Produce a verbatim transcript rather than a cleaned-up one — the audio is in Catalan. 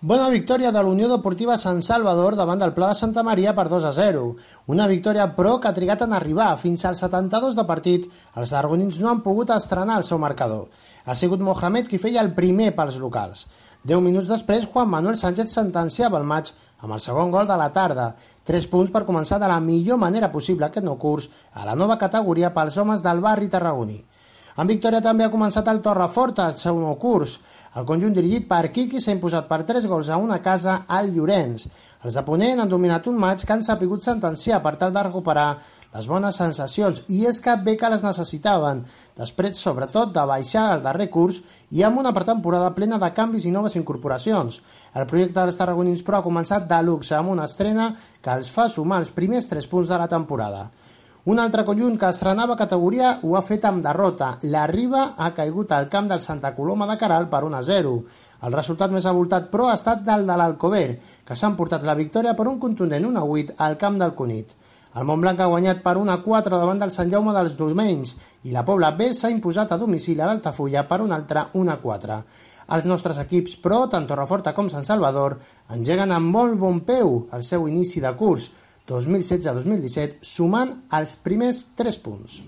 Bona victòria de la Unió Deportiva Sant Salvador davant del Pla de Santa Maria per dos a zero. Una victòria, però, que ha trigat en arribar. Fins als setanta-dos de partit, els tarragonins no han pogut estrenar el seu marcador. Ha sigut Mohamed qui feia el primer pels locals. Deu minuts després, Juan Manuel Sánchez sentenciava el maig amb el segon gol de la tarda. Tres punts per començar de la millor manera possible aquest nou curs a la nova categoria pels homes del barri tarragoní. En victòria també ha començat el Torreforta, el seu nou curs. El conjunt dirigit per Quiqui s'ha imposat per tres gols a una casa al Llorenç. Els de Ponent han dominat un maig que han sabut sentenciar per tal de recuperar les bones sensacions, i és que bé que les necessitaven, després sobretot de baixar el darrer curs i amb una pretemporada plena de canvis i noves incorporacions. El projecte dels tarragonins, però, ha començat de luxe amb una estrena que els fa sumar els primers tres punts de la temporada. Un altre conjunt que estrenava categoria ho ha fet amb derrota. La Riba ha caigut al camp del Santa Coloma de Queralt per un a zero. El resultat més avoltat, però, ha estat del de l'Alcover, que s'han portat la victòria per un contundent un a vuit al camp del Cunit. El Montblanc ha guanyat per un a quatre davant del Sant Jaume dels Domenys i la Pobla B s'ha imposat a domicili a l'Altafulla per un altre un a quatre. Els nostres equips, però, tant Torreforta com Sant Salvador, engeguen amb molt bon peu el seu inici de curs dos mil setze dos mil disset, sumant els primers tres punts.